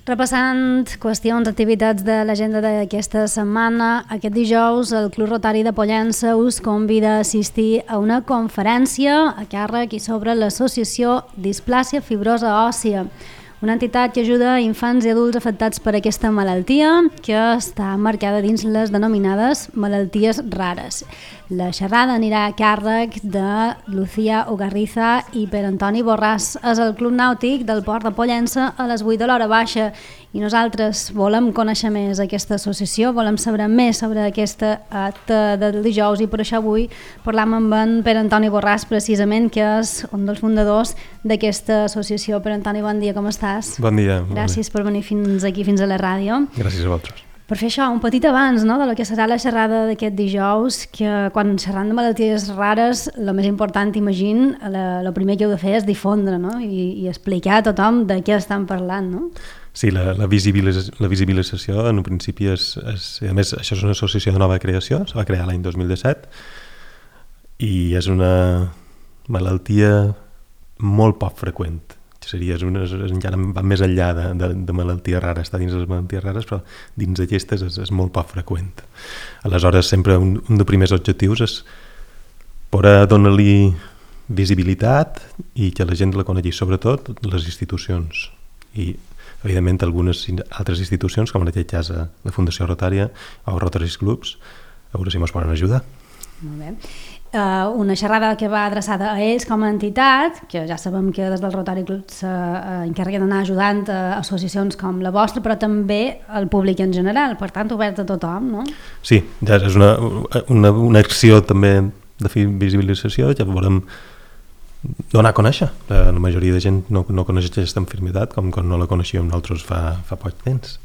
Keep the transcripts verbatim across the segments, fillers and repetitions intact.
Repassant qüestions, activitats de l'agenda d'aquesta setmana, aquest dijous el Club Rotari de Pollença us convida a assistir a una conferència a càrrec i sobre l'associació Displàsia Fibrosa Òssia, una entitat que ajuda a infants i adults afectats per aquesta malaltia que està marcada dins les denominades malalties rares. La xerrada anirà a càrrec de Lucía Ugarriza i per Antoni Borràs. És el Club Nàutic del Port de Pollença a les vuit de l'hora baixa i nosaltres volem conèixer més aquesta associació, volem saber més sobre aquesta acte del dijous i per això avui parlam amb en Per Antoni Borràs, precisament, que és un dels fundadors d'aquesta associació. Per Antoni, bon dia, com estàs? Bon dia. Gràcies per venir fins aquí, fins a la ràdio. Gràcies a vosaltres. Per fer això, un petit abans, no?, de lo que serà la xerrada d'aquest dijous, que quan xerrant de malalties rares, el més important, imagino, el primer que heu de fer és difondre, no?, I, i explicar a tothom de què estan parlant, no? Sí, la, la, visibilització, la visibilització en un principi és, és... A més, això és una associació de nova creació, se va crear l'any dos mil disset i és una malaltia molt poc freqüent. Seria, és una, encara va més enllà de, de, de malalties rares, està dins les malalties rares, però dins d'aquestes és, és molt poc freqüent. Aleshores, sempre un, un dels primers objectius és poder donar-li visibilitat i que la gent la conegui, sobretot les institucions. I, evidentment, algunes altres institucions, com en aquest cas la Fundació Rotària o Rotary Clubs, a veure si ens poden ajudar. Molt bé. Uh, una xerrada que va adreçada a ells com a entitat, que ja sabem que des del Rotary Club s'encarreguen d'anar ajudant a associacions com la vostra, però també al públic en general, per tant obert a tothom, no? Sí, ja és una, una, una acció també de visibilització que volem donar a conèixer. La, la majoria de gent no, no coneix aquesta malaltia com quan no la coneixíem nosaltres fa, fa poc temps.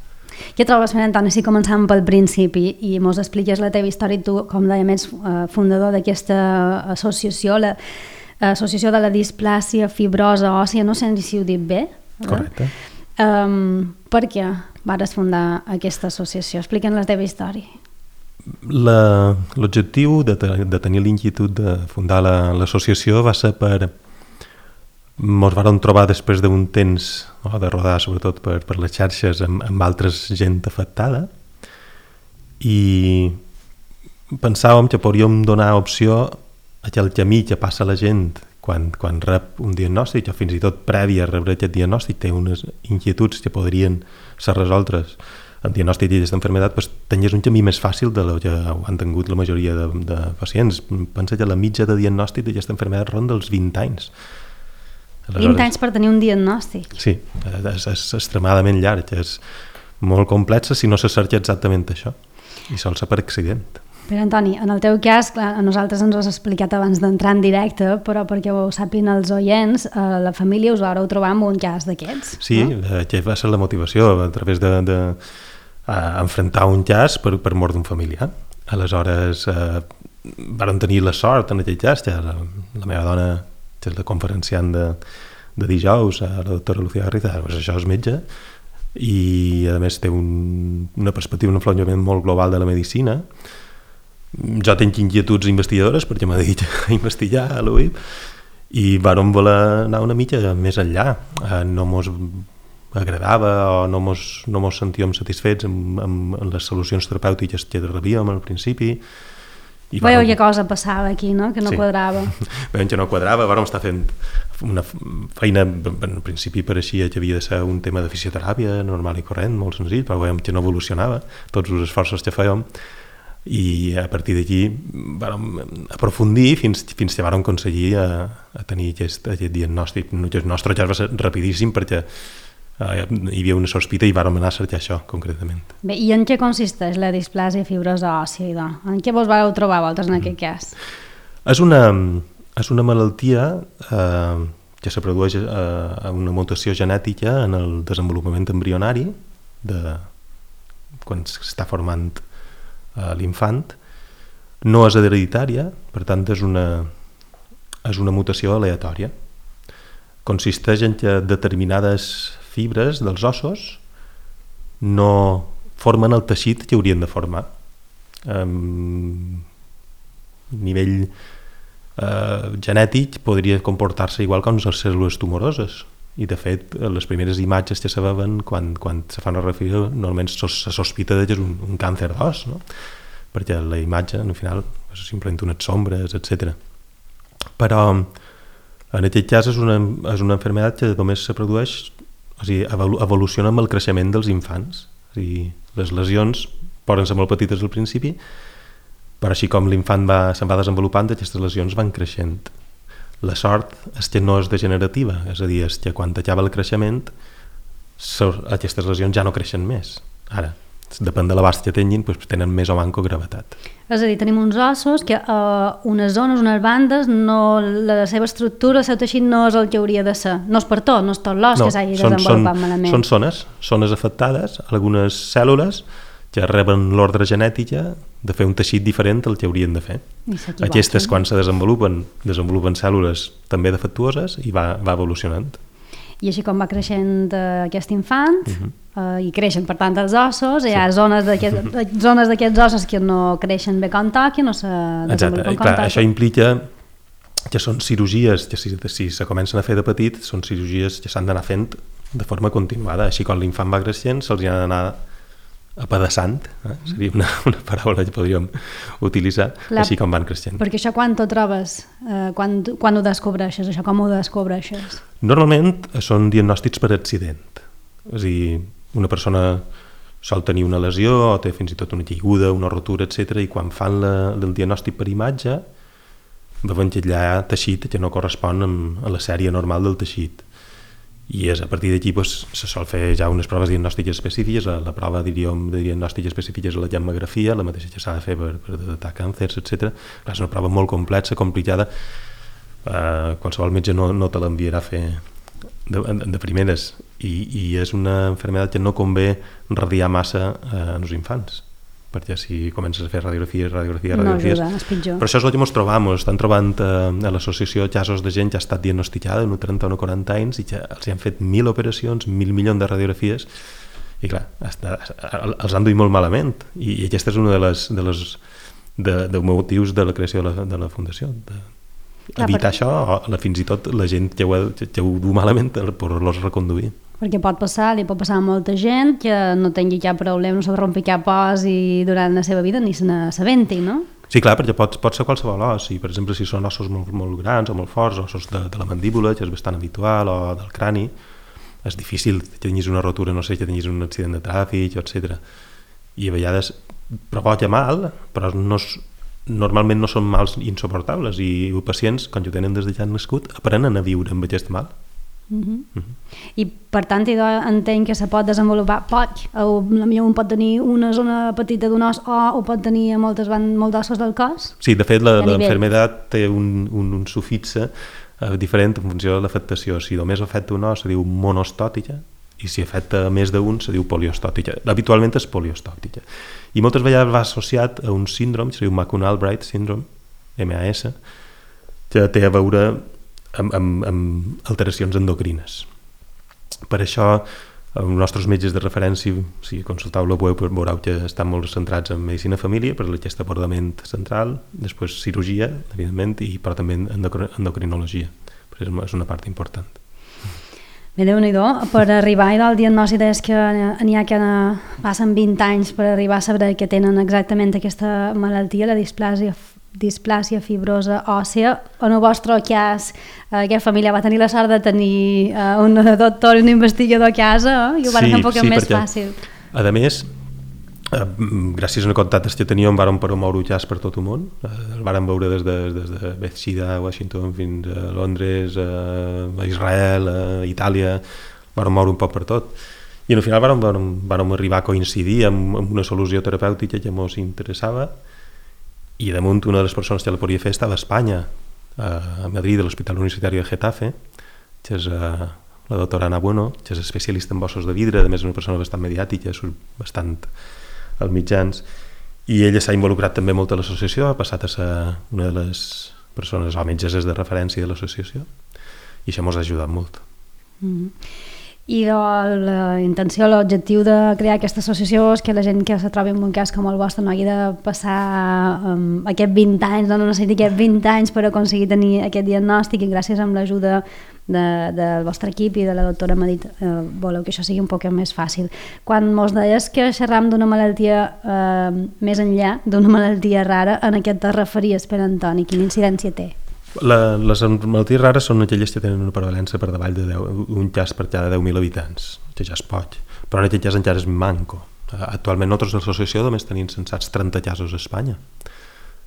Què trobes, Per Antoni, si començam pel principi i mos expliques la teva història, tu, com deia, ets fundador d'aquesta associació, l'Associació de la Displàsia Fibrosa Òssia, no sé si ho dic bé. Correcte. Um, per què vas fundar aquesta associació? Explica'ns la teva història. La, l'objectiu de, de tenir l'inquietud de fundar la, l'associació va ser per... Ens vam trobar després d'un temps, no, de rodar sobretot per, per les xarxes amb, amb altres gent afectada i pensàvem que podríem donar opció a aquell camí que passa la gent quan, quan rep un diagnòstic o fins i tot previ a rebre aquest diagnòstic té unes inquietuds que podrien ser resoltes el diagnòstic d'aquesta malaltia, doncs tenies un camí més fàcil de lo que han tingut la majoria de, de pacients. Pensa que la mitja de diagnòstic d'aquesta malaltia ronda els vint anys. Aleshores, vint anys per tenir un diagnòstic. Sí, és, és extremadament llarg, és molt complexa si no se cerca exactament això, i sol ser per accident. Per Antoni, en el teu cas, clar, a nosaltres ens ho has explicat abans d'entrar en directe, però perquè ho sàpiguen els oients, eh, la família us vareu trobar amb un cas d'aquests. Sí, no? Això va ser la motivació, a través de, de uh, enfrontar un cas per, per mort d'un familiar. Aleshores, uh, vàrem tenir la sort en aquell cas, que la, la meva dona, que és la conferenciant de, de dijous, la doctora Lucía Garriza, doncs això és metge, i a més té un, una perspectiva, un enfocament molt global de la medicina. Jo tinc inquietuds investigadores perquè m'ha dit a investigar a l'U I P i vàrem voler anar una mica més enllà. No mos agradava o no mos, no mos sentíem satisfets amb, amb les solucions terapèutiques que rebíem al principi. Veieu que cosa passava aquí, no? Que no sí. quadrava. Veiem que no quadrava, vàrem estar fent una feina, en principi pareixia que havia de ser un tema de fisioteràpia normal i corrent, molt senzill, però veiem que no evolucionava tots els esforços que fèiem i a partir d'aquí vàrem aprofundir fins, fins que vàrem aconseguir a, a tenir aquest, aquest diagnòstic. El nostre cas va ser rapidíssim perquè Uh, hi havia una sospita i vàrem anar a cercar això concretament. Bé, i en què consisteix la displàsia fibrosa òssia, idò? En què vos vau trobar vosaltres en mm. aquest cas? És una, és una malaltia eh, que se produeix eh, una mutació genètica en el desenvolupament embrionari de, quan s'està formant eh, l'infant. No és hereditària, per tant és una, és una mutació aleatòria. Consisteix en que determinades fibres dels ossos no formen el teixit que haurien de formar. A nivell eh, genètic podria comportar-se igual que les cèl·lules tumoroses. i de fet les primeres imatges que se veuen quan, quan se fa una radiografia normalment se sospita que és un, un càncer d'os, no? Perquè la imatge al final és simplement unes sombres, etcètera. Però en aquest cas és una, és una malaltia que només se produeix, o sigui, evoluciona amb el creixement dels infants. O sigui, les lesions poden ser molt petites al principi, però així com l'infant va, se'n va desenvolupant, aquestes lesions van creixent. La sort és que no és degenerativa, és a dir, és que quan acaba el creixement aquestes lesions ja no creixen més. Ara, depèn de l'abast que tinguin, doncs tenen més o manco gravetat. És a dir, tenim uns ossos que a uh, unes zones, unes bandes, no, la seva estructura, el seu teixit no és el que hauria de ser. No és per tot, no és tot l'os no, que s'hagi desenvolupat malament. Són zones, zones afectades, algunes cèl·lules que reben l'ordre genètica de fer un teixit diferent del que haurien de fer. Aquestes, quan se desenvolupen, desenvolupen cèl·lules també defectuoses i va, va evolucionant. I així com va creixent aquest infant, uh-huh. eh, i creixen per tant els ossos, sí. Hi ha zones d'aquests zones d'aquests ossos que no creixen bé com toqui, no se desenvolupen com toqui. Això implica que són cirurgies que si, si se comencen a fer de petit, són cirurgies que s'han d'anar fent de forma continuada. Així com l'infant va creixent, se'ls ha d'anar apedaçant, eh? Seria una, una paraula que podríem utilitzar, clar, així com van creixent. Perquè això quan t'ho trobes? Eh, quan, quan ho descobreixes? Això com ho descobreixes? Normalment són diagnòstics per accident. És a dir, una persona sol tenir una lesió o té fins i tot una caiguda, una rotura, etcètera, i quan fan la, el diagnòstic per imatge veuen que hi ha teixit que no correspon amb, a la sèrie normal del teixit. I és a partir d'aquí doncs, se sol fer ja unes proves diagnòstiques específiques. La, la prova diríem, de diagnòstic específica és la gammagrafia, la mateixa que s'ha de fer per, per detectar càncers, etcètera. És una prova molt complexa, complicada. Uh, qualsevol metge no, no te l'enviarà a fer de, de primeres. I, I és una malaltia que no convé radiar massa uh, en els infants, perquè si comences a fer radiografies, radiografies, radiografies... No ajuda, és pitjor. Però això és el que ens trobam, estan trobant eh, a l'associació casos de gent que ha estat diagnosticada en trenta o quaranta anys i que els han fet mil operacions, mil milions de radiografies i clar, hasta, els han duit molt malament i, i aquesta és una de les, de les de, de motius de la creació de la, de la fundació, de clar, evitar perquè... això, o fins i tot la gent que ho, que ho du malament per poder-los reconduir. Perquè pot passar, li pot passar a molta gent que no tingui cap problema, no se rompi cap os i durant la seva vida ni se n'assabenti, no? Sí, clar, perquè pot, pot ser qualsevol os. I, per exemple, si són ossos molt, molt grans o molt forts, ossos de, de la mandíbula, que és bastant habitual, o del crani, és difícil que tinguis una rotura, no sé, que tinguis un accident de tràfic, etcètera. I a vegades provoca mal, però no és, normalment no són mals insuportables i els pacients, quan ho tenen des de ja han nascut, aprenen a viure amb aquest mal. Uh-huh. Uh-huh. I per tant entenc que se pot desenvolupar pot, o potser un pot tenir una zona petita d'un os o ho pot tenir a moltes molts ossos del cos. Sí, de fet l'enfermedad té un, un, un sufixe eh, diferent en funció de l'afectació. Si només afecta un os se diu monostòtica i si afecta més d'un se diu poliostòtica. Habitualment és poliostòtica i moltes vegades va associat a un síndrome que se diu McCune-Albright syndrome, M A S, que té a veure Amb, amb, amb alteracions endocrines. Per això els nostres metges de referència, si consultau la web, veureu que estan molt centrats en medicina família per aquest abordament central, després cirurgia, evidentment, i però també endocrinologia, perquè és una part important. Bé, Déu-n'hi-do, per arribar al diagnòstic és que n'hi ha que passen vint anys per arribar a saber que tenen exactament aquesta malaltia, la displàsia displàsia fibrosa òssea. En el vostre cas, aquesta família va tenir la sort de tenir uh, un doctor i un investigador a casa, eh? I ho va sí, fer un poc sí, més fàcil. A més, eh, gràcies a una contactes que teníem, vàrem promoure el cas per tot el món. Eh, el vàrem veure des de, des de Bethesda, Washington, fins a Londres, eh, a Israel, a Itàlia, vàrem moure un poc per tot. I al final vàrem, vàrem, vàrem arribar a coincidir amb, amb una solució terapèutica que ens interessava. I damunt una de les persones que la podia fer estava a Espanya, a Madrid, a l'Hospital Universitari de Getafe, que és la doctora Ana Bueno, que és especialista en ossos de vidre, a més és una persona bastant mediàtica, surt bastant als mitjans, i ella s'ha involucrat també molt a l'associació, ha passat a ser una de les persones o metgesses de referència de l'associació, i això ens ha ajudat molt. Mm-hmm. I la intenció, l'objectiu de crear aquesta associació és que la gent que se trobi en un cas com el vostre no hagi de passar um, aquests vint anys, no necessiti aquests vint anys per aconseguir tenir aquest diagnòstic, i gràcies amb l'ajuda de, del vostre equip i de la doctora m'ha dit eh, voleu que això sigui un poc més fàcil. Quan mos deies que xerram d'una malaltia eh, més enllà d'una malaltia rara, en què te referies, Pere Antoni? Quina incidència té? La, les malalties rares són aquelles que tenen una prevalença per davall de deu, un cas per cada deu mil habitants, que ja es pot, però en aquest cas encara és manco. Actualment nosaltres a l'associació només tenim censats trenta casos a Espanya,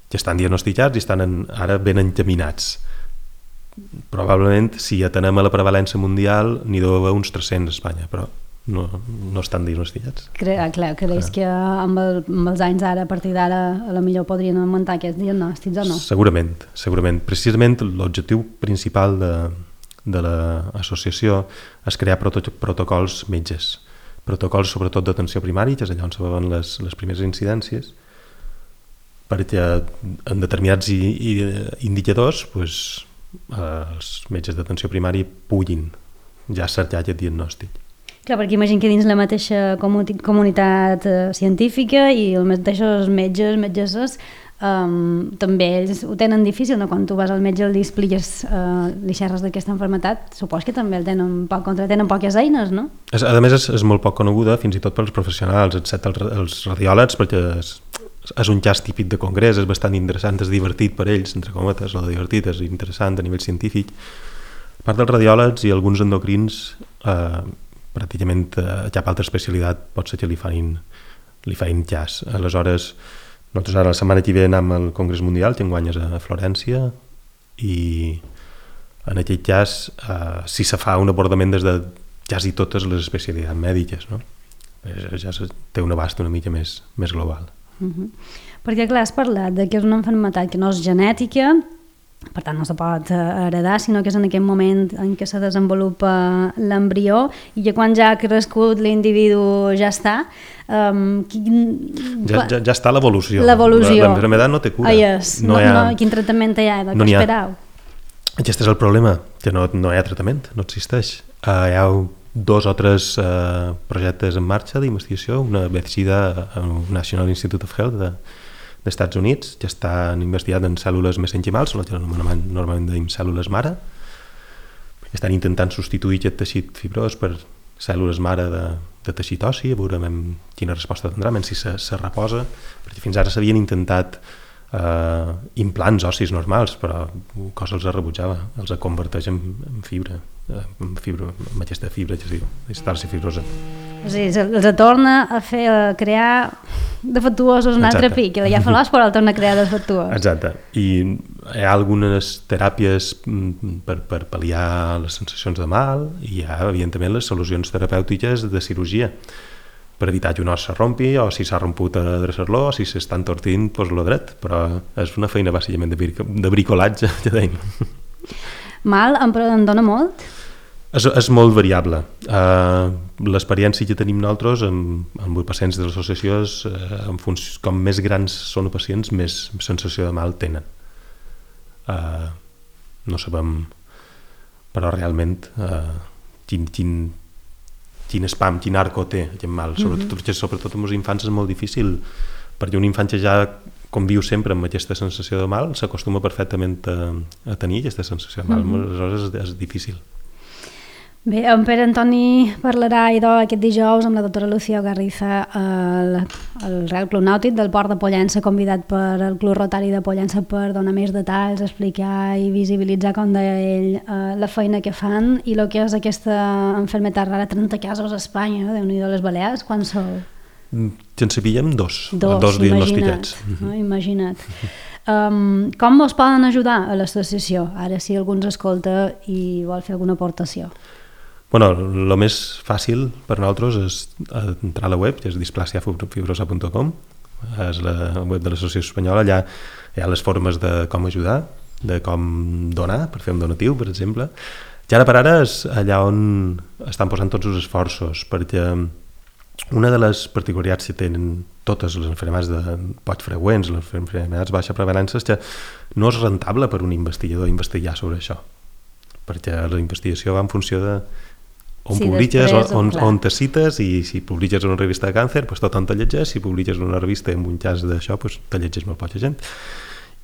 que estan diagnosticats i estan en, ara ben encaminats. Probablement, si atenem a la prevalença mundial, n'hi deu haver uns tres-cents a Espanya, però no, no estan diagnosticats. Cre clar, creus que amb, el, amb els anys ara, a partir d'ara, a la millor podrien augmentar aquests diagnòstics o no? Segurament, segurament. Precisament l'objectiu principal de, de l'associació és crear proto protocols metges, protocols sobretot d'atenció primària, que és allà on se veuen les, les primeres incidències, perquè en determinats i, i, indicadors pues, els metges d'atenció primària puguin ja cercar aquest diagnòstic. Clar, perquè imagino que dins la mateixa comunitat eh, científica i els mateixos metges, metgesses, um, també ells ho tenen difícil, no? Quan tu vas al metge i li expliques, uh, li xerres d'aquesta malaltia, supos que també el tenen poc, contra tenen poques eines, no? És, a més, és, és molt poc coneguda, fins i tot pels professionals, excepte els, els radiòlegs, perquè és, és un cas típic de congrés, és bastant interessant, és divertit per ells, entre cometes, o divertit, és interessant a nivell científic. A part dels radiòlegs i alguns endocrins, eh, pràcticament a cap altra especialitat pot ser que li fain, li fain cas. Aleshores, nosaltres ara la setmana que ve anem al Congrés Mundial, que enguany és a Florència, i en aquest cas eh, si se fa un abordament des de quasi totes les especialitats mèdiques, no? Ja té un abast una mica més, més global. Uh-huh. Perquè clar, has parlat de que és una malaltia que no és genètica, per tant no se pot heredar, sinó que és en aquest moment en què se desenvolupa l'embrió i que quan ja ha crescut l'individu ja està. Um, quin... ja, ja, ja està l'evolució. L'evolució. L'enfermedad no té cura. Ah, yes. no, no, ha... no, quin tractament hi ha? De no què esperau? Aquest és el problema, que no, no hi ha tractament, no existeix. Uh, hi ha dos o tres uh, projectes en marxa d'investigació, una Bethesda, National Institute of Health de dels Estats Units, que estan investigats en cèl·lules mesenquimals, el que normalment dèiem cèl·lules mare. Estan intentant substituir aquest teixit fibrós per cèl·lules mare de, de teixit ossi, a veure quina resposta tindrà, si se, se reposa, perquè fins ara s'havien intentat eh, implants ossis normals, però cosa els rebutjava, els converteix en, en fibra, en, fibra, en aquesta fibra que es diu, distarsi fibrosa. O sigui, els torna a fer a crear defectuosos un altre pic, que ja fa l'os però el torna a crear defectuós. Exacte, i hi ha algunes teràpies per, per pal·liar les sensacions de mal i hi ha evidentment les solucions terapèutiques de cirurgia per evitar que un os se rompi o si s'ha romput a adreçar-lo o si s'està entortint, doncs lo dret, però és una feina bàsicament de, bric de bricolatge, ja deim. Mal em, em dona molt? És, és molt variable. Uh, l'experiència que tenim nosaltres amb, amb pacients de l'associació és uh, en funció, com més grans són els pacients, més sensació de mal tenen. Uh, no sabem, però realment uh, quin, quin, quin spam, quin arco té aquest mal. Sobretot, mm-hmm. sobretot amb els infants és molt difícil, perquè un infant que ja conviu sempre amb aquesta sensació de mal s'acostuma perfectament a, a tenir aquesta sensació de mal. Mm-hmm. Aleshores és, és difícil. Bé, en Pere Antoni parlarà idò aquest dijous amb la doctora Lucía Garriza al, al Real Club Nàutic del Port de Pollença, convidat per el Club Rotari de Pollença per donar més detalls, explicar i visibilitzar, com deia ell, eh, la feina que fan i el que és aquesta malaltia rara. Trenta casos a Espanya, no? Déu-n'hi-do, les Balears, quan sou? Que en sabíem dos, dos, dos diagnosticats. No? Imagina't. Um, com us poden ajudar a l'associació? Ara si algú ens escolta i vol fer alguna aportació. Bueno, el més fàcil per nosaltres és entrar a la web, que és displasia fibrosa punt com, és la web de l'Associació Espanyola. Allà hi ha les formes de com ajudar, de com donar, per fer un donatiu, per exemple. I ara per ara és allà on estan posant tots els esforços, perquè una de les particularitats que tenen totes les malalties de poc freqüents, les malalties baixa prevalença, és que no és rentable per un investigador investigar sobre això, perquè la investigació va en funció de on sí, publiques, després, on, clar. on te cites, i si publiques en una revista de càncer, pues tothom te llegeix, si publiques en una revista amb un cas d'això, pues te llegeix molt poca gent.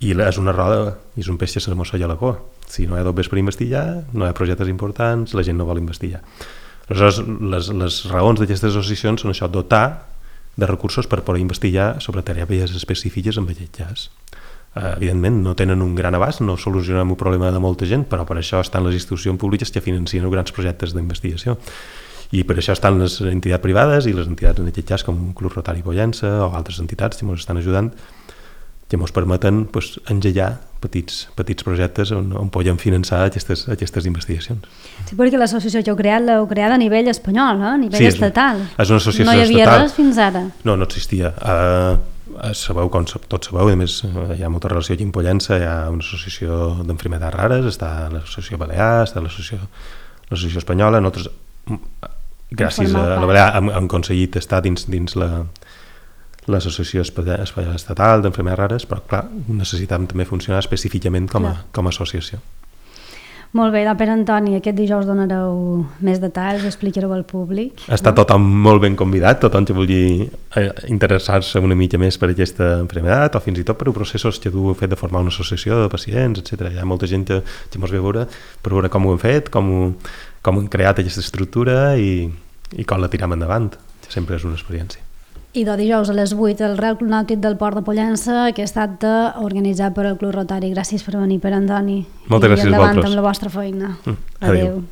I és una roda, és un peix que se mossega la cua. Si no hi ha dobbes per investigar, no hi ha projectes importants, la gent no vol investigar. Aleshores, les, les raons d'aquestes associacions són això, dotar de recursos per poder investigar sobre teràpies específiques amb aquest cas. Uh, evidentment, no tenen un gran abast, no solucionem un problema de molta gent, però per això estan les institucions públiques que financien grans projectes d'investigació. I per això estan les entitats privades i les entitats, en aquest cas, com Club Rotari Pollença o altres entitats que ens estan ajudant, que ens permeten pues, engegar petits, petits projectes on, on podem finançar aquestes, aquestes investigacions. Sí, perquè l'associació que heu creat l'heu creat a nivell espanyol, eh? A nivell sí, estatal. És una associació no hi havia estatal. Res fins ara. No, no existia. Uh, sabeu, com tots sabeu, a més hi ha molta relació aquí en Pollença, hi ha una associació d'enfermedats rares, està l'associació Balear, està l'associació, l'associació espanyola, nosaltres, gràcies a la Balear, hem, hem aconseguit estar dins, dins la l'associació estatal d'enfermedats rares, però clar, necessitàvem també funcionar específicament com a, com a associació. Molt bé, Pere Antoni, aquest dijous donareu més detalls, explicareu al públic. Està no? Tothom molt ben convidat, tothom que vulgui interessar-se una mica més per aquesta enfermedad o fins i tot per processos que tu heu fet de formar una associació de pacients, etcètera. Hi ha molta gent que, que ens ve a veure per veure com ho hem fet, com, ho, com hem creat aquesta estructura i, i com la tirem endavant, que sempre és una experiència. I de dijous a les vuit el Real Club Nàutic del Port de Pollença, aquest acte organitzat per el Club Rotari. Gràcies per venir, Pere Antoni. Moltes gràcies a vosaltres. I endavant amb la vostra feina. Mm, adéu. Adéu.